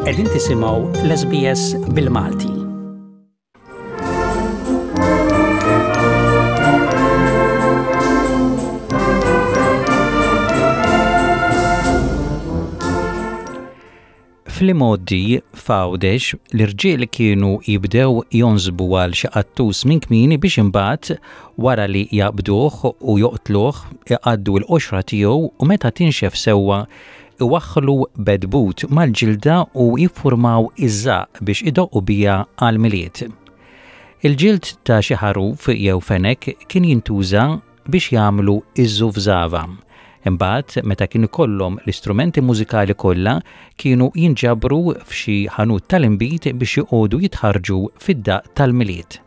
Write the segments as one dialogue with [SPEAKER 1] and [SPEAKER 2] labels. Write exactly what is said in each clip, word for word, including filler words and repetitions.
[SPEAKER 1] Qegħdin tisimgħu l-S B S bil-Malti. Fl-imgħoddi f'Għawdex, l-irġiel kienu jibdew jonsbu għal xi qattus minn kmieni biex imbagħad, wara li jaqbduh u joqtluh, iqaddu l-qoxra tiegħu u, meta tinxef sewwa, iwaħħlu bedbut mal-ġilda u jiffurmaw iż-żaq biex idoqqu biha għall-Milied. Il-ġild ta' xi ħaruf jew fenek kien jintuża biex jagħmlu iż-żufżava. Imbagħad, meta kien ikollhom l-istrumenti mużikali kollha, kienu jinġabru f'xi ħanut tal-inbid biex joqogħdu jitħarġu fid-daq tal-Milied.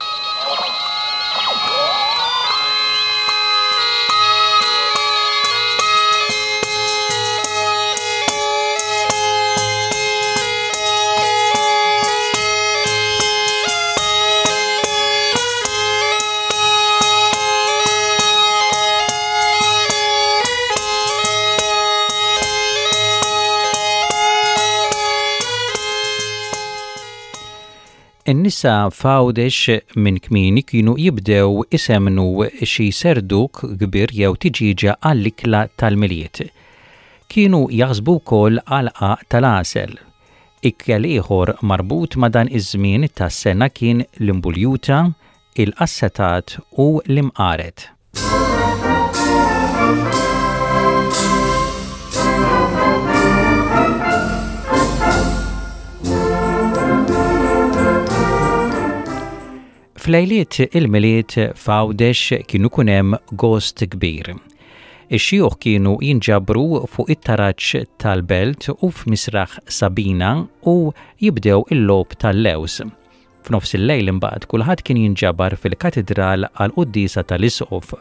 [SPEAKER 1] In-nisa f'Għawdex minn kmieni kienu jibdew isemnu xi serduk kbir jew tiġiġa għall-ikla tal-Milied. Kienu jaħsbu wkoll għal tal-għasel. Ikel ieħor marbut ma' dan iż-żmien tas-sena kien l-imbuljuta, il-qassetat u l-imqaret. F'lejliet il-Milied f'Għawdex kienu jkun hemm gost kbir. Ix-xjuħ kienu jinġabru fuq it-taraġ tal-belt u f'Misraħ Sabina u jibdew il-logħob tal-lews. F'nofs il-lejl imbagħad kulħadd kien jinġabar fil-katedral għal quddiesa tal-isqof.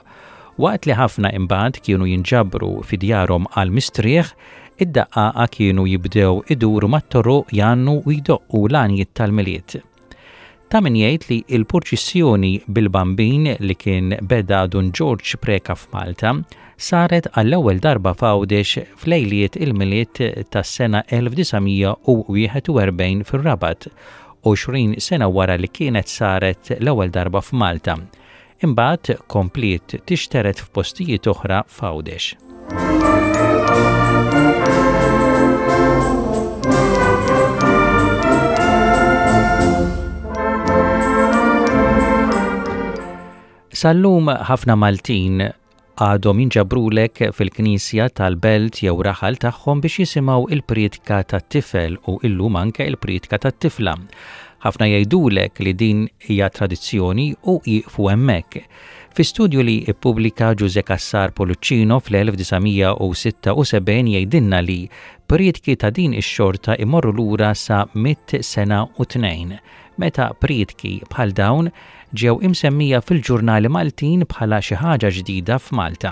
[SPEAKER 1] Waqt li ħafna imbagħad kienu jinġabru fi djarhom għal mistrieħ, id-daqqaqa kienu jibdew iduru mat-toroq jgħannu u jdoqqu l-għanjiet tal-Milied. Ta' min jgħid li il-purċissjoni bil-Bambin li kien beda Dun George Preka f'Malta saret għall-ewwel darba f'Għawdex f'lejliet il-Milied tas-sena elf disa' mija u wieħed u erbgħin fir-Rabat, għoxrin sena wara li kienet saret l-ewwel darba f'Malta. Imbagħad kompliet tixteret f'postijiet oħra f'Għawdex. Sal-lum ħafna Maltin għadhom jinġabrulek fil-knisja tal-belt jew raħal tagħhom biex jisimgħu il-priedka tat-tifel u illum anke il-priedka tat-tifla. Ħafna jgħidulek li din hija tradizzjoni u jieqfu hemmhekk. Fi studju li ippubblika Ġuże Cassar Pullicino fl-elf disa' mija u sitta u sebgħin jgħidilna li priedki ta' din ix-xorta imorru lura sa mitt sena u tnejn, meta priedki bħal dawn ġew imsemmija fil-ġurnali Maltin bħala xi ħaġa ġdida f'Malta.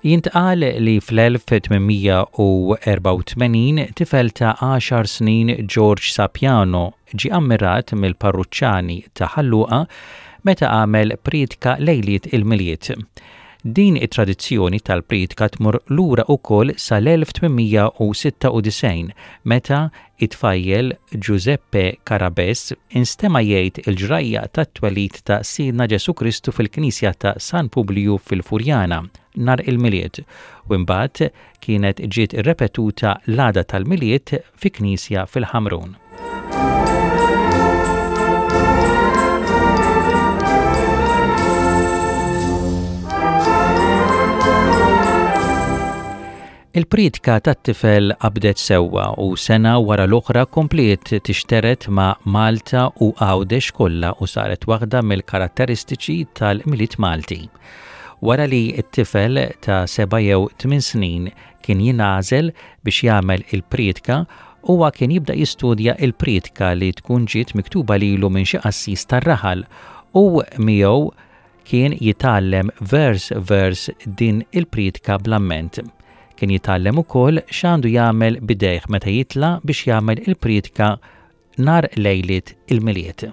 [SPEAKER 1] Jintqal li fl-elf tmien mija u erbgħa u tmenin tifel ta' għaxar snin, George Sapiano, ġi ammirat mill-parruċċani ta' Ħal Luqa meta għamel priedka lejliet il-Milied. Din it-tradizzjoni tal-priedka tmur lura ukoll sal-elf tmien mija u sitta u disgħin, meta it-tfajjel Giuseppe Carabes instema jgħid il-ġrajja tat-twelid ta' Sidna Ġesu Kristu fil-Knisja ta' San Publiju fil-Furjana nhar il-Milied u imbagħad kienet ġiet irrepetuta l-għada tal-Milied fi knisja fil-Ħamrun. Il-priedka tat-tifel qabdet sewwa u sena wara l-oħra kompliet tixteret ma' Malta u Għawdex kollha u saret waħda mill-karatteristiċi tal-Milied Malti. Wara li t-tifel ta' seba' jew tmien snin kien jingħażel biex jagħmel il-priedka, huwa kien jibda jistudja il-priedka li tkun ġiet miktuba lilu minn xi qassis tar-raħal u miegħu kien jitgħallem vers vers din il-priedka bl-amment. Kien jitgħallem ukoll x'għandu jagħmel b'idejh meta jitla' biex jagħmel il-priedka nhar lejliet il-Milied.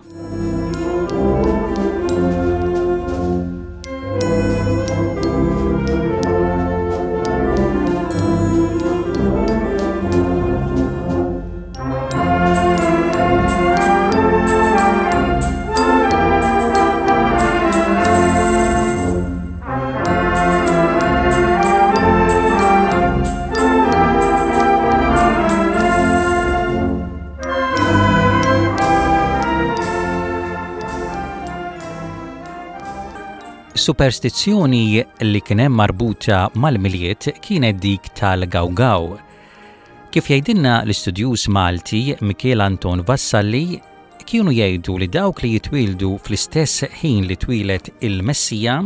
[SPEAKER 1] Superstizzjoni li kien hemm marbuta mal-Milied kienet dik tal-gawgaw. Kif jgħidilna l-istudjuż Malti Mikiel Anton Vassalli, kienu jgħidu li dawk li jitwildu fl-istess ħin li twieled il-Messija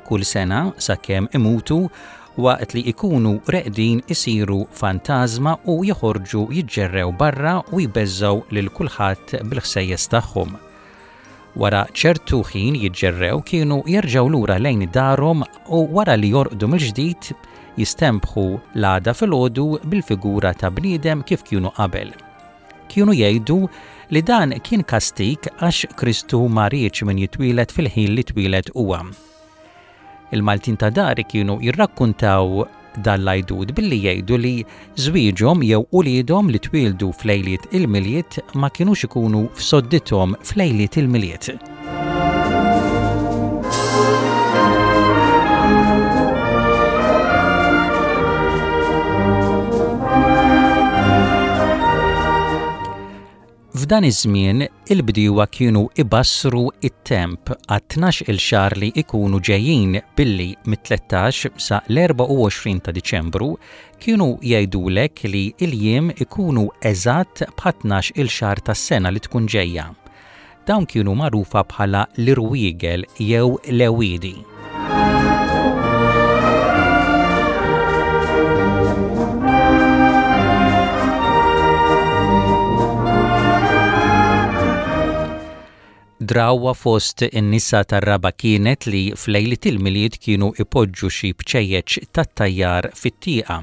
[SPEAKER 1] kull sena sakemm imutu, waqt li ikunu reqdin isiru fantażma u joħorġu jiġġerrew barra u jbeżżgħu lil kulħadd bil-ħsejjes tagħhom. Wara ċertu ħin jiġġerrew kienu jerġgħu lura lejn darhom u wara li jorqdu mill-ġdid jistenbħu l-għada filgħodu bil-figura ta' bniedem kif kienu qabel. Kienu jgħidu li dan kien kastik għax Kristu ma riedx min jitwieled fil-ħin li twieled huwa. Il-Maltin ta' dari kienu jirrakkuntaw dan l-għajdut billi jgħidu li żwieġhom jew uliedhom li twieldu f'lejliet il-Milied ma kinux ikunu f'soddithom f'lejliet il-Milied. F'dan iż-żmien il-bdiewa kienu ibassru it-temp għat-tnax il xahar li ikunu ġejjin billi mit-tlettax sa l-erbgħa u għoxrin ta' Diċembru kienu jgħidulek li l-jiem ikunu eżatt bħat-tnax il xahar tas-sena li tkun ġejja. Dawn kienu magħrufa bħala l-irwiegel jew l-ewiedi. Drawwa fost in-nisa tar-raba' kienet li f'lejliet il-Milied kienu ipoġġu xi bċejjeċ tat-tajjar fit-tieqa.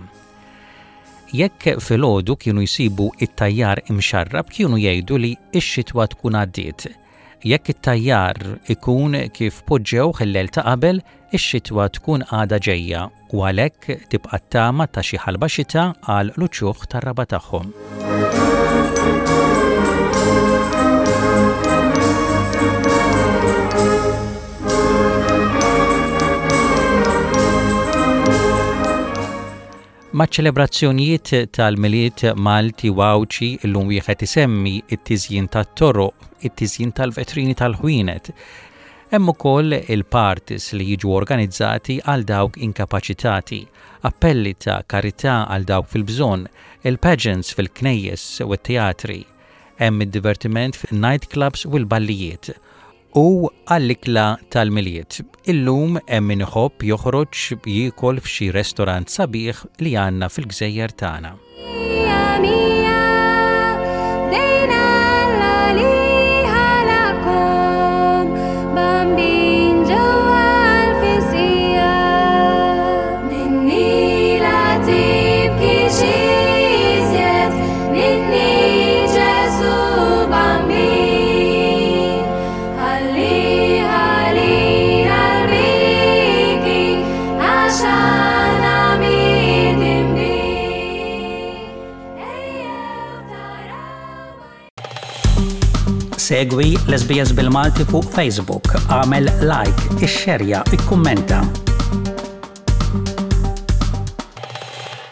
[SPEAKER 1] Jekk filgħodu kienu jsibu it-tajjar imxarrab kienu jgħidu li x-xitwa tkun għaddiet. Jekk it-tajjar ikun kif poġġewh il-lejl ta' qabel, ix-xitwa tkun għadha ġejja u għalhekk tibqa' t-tama ta' xi ħalba xita għal l-uċuħ tar-raba' tagħhom. Maċ-ċelebrazzjonijiet tal-Milied Malti u Għawdxi illum wieħed isemmi it-tiżjin tat-toroq, it-tiżjin tal-vetrini tal-ħwienet. Hemm ukoll il-parties li jiġu organizzati għal dawk inkapaċitati, appelli ta' karità għal dawk fil-bżonn, il-pageants fil-knejjes u t-teatri. Hemm id-divertiment fin-nightclubs u l-ballijiet. U għall-ikla tal-Milied. Illum hemm min iħobb joħroġ jiekol f'xi restorant sabiħ li għandna fil-gżejjer tagħna. Segwi l-S B S bil-Malti fuq Facebook, għamel like, ixxerja, ikkummenta.